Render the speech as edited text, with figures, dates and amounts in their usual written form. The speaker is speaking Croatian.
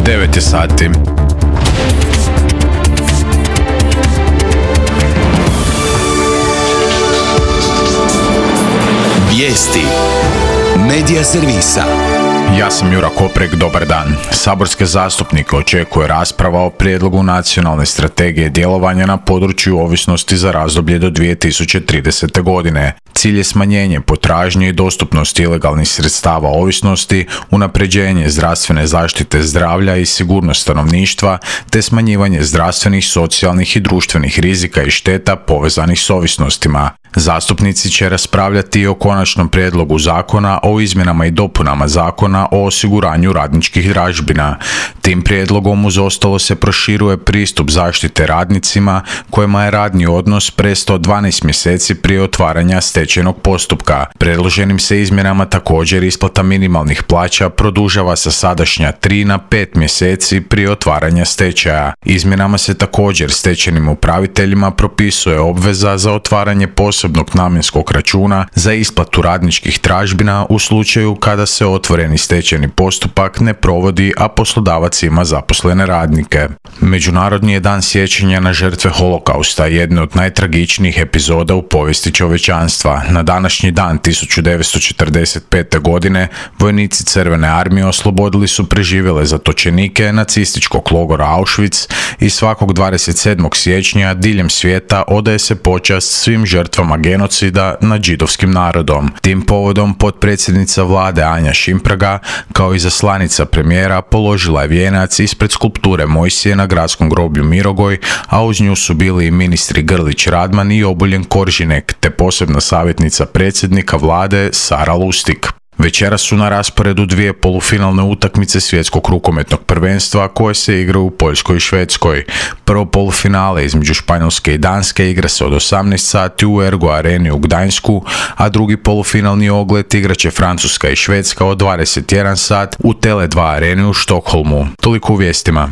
9 je sati. Vijesti Medija servisa. Ja sam Jura Koprek, dobar dan. Saborske zastupnike očekuje rasprava o prijedlogu nacionalne strategije djelovanja na području ovisnosti za razdoblje do 2030. godine. Cilj je smanjenje potražnje i dostupnosti ilegalnih sredstava ovisnosti, unapređenje zdravstvene zaštite zdravlja i sigurnost stanovništva, te smanjivanje zdravstvenih, socijalnih i društvenih rizika i šteta povezanih s ovisnostima. Zastupnici će raspravljati i o konačnom prijedlogu zakona o izmjenama i dopunama zakona o osiguranju radničkih tražbina. Tim prijedlogom uz ostalo se proširuje pristup zaštite radnicima kojima je radni odnos prestao 12 mjeseci prije otvaranja stečajnog postupka. Predloženim se izmjenama također isplata minimalnih plaća produžava sa sadašnja 3 na 5 mjeseci prije otvaranja stečaja. Izmjenama se također stečajnim upraviteljima propisuje obveza za otvaranje posebnog namjenskog računa za isplatu radničkih tražbina u slučaju kada se otvoreni stečajni postupak ne provodi, a poslodavac ima zaposlene radnike. Međunarodni je dan sjećanja na žrtve holokausta, jedne od najtragičnijih epizoda u povijesti čovječanstva. Na današnji dan 1945. godine vojnici Crvene armije oslobodili su preživjele zatočenike nacističkog logora Auschwitz i svakog 27. siječnja diljem svijeta odaje se počast svim žrtvama genocida nad židovskim narodom. Tim povodom potpredsjednica vlade Anja Šimpraga kao i zaslanica premijera položila je vijenac ispred skulpture Mojsije na gradskom groblju Mirogoj, a uz nju su bili i ministri Grlić Radman i Obuljen Koržinek, te posebna savjetnica predsjednika vlade Sara Lustig. Večeras su na rasporedu dvije polufinalne utakmice svjetskog rukometnog prvenstva koje se igraju u Poljskoj i Švedskoj. Prvo polufinale između Španjolske i Danske igra se od 18 sati u Ergo Areni u Gdańsku, a drugi polufinalni ogled igraće Francuska i Švedska od 21 sat u Tele2 Areni u Štokholmu. Toliko u vijestima.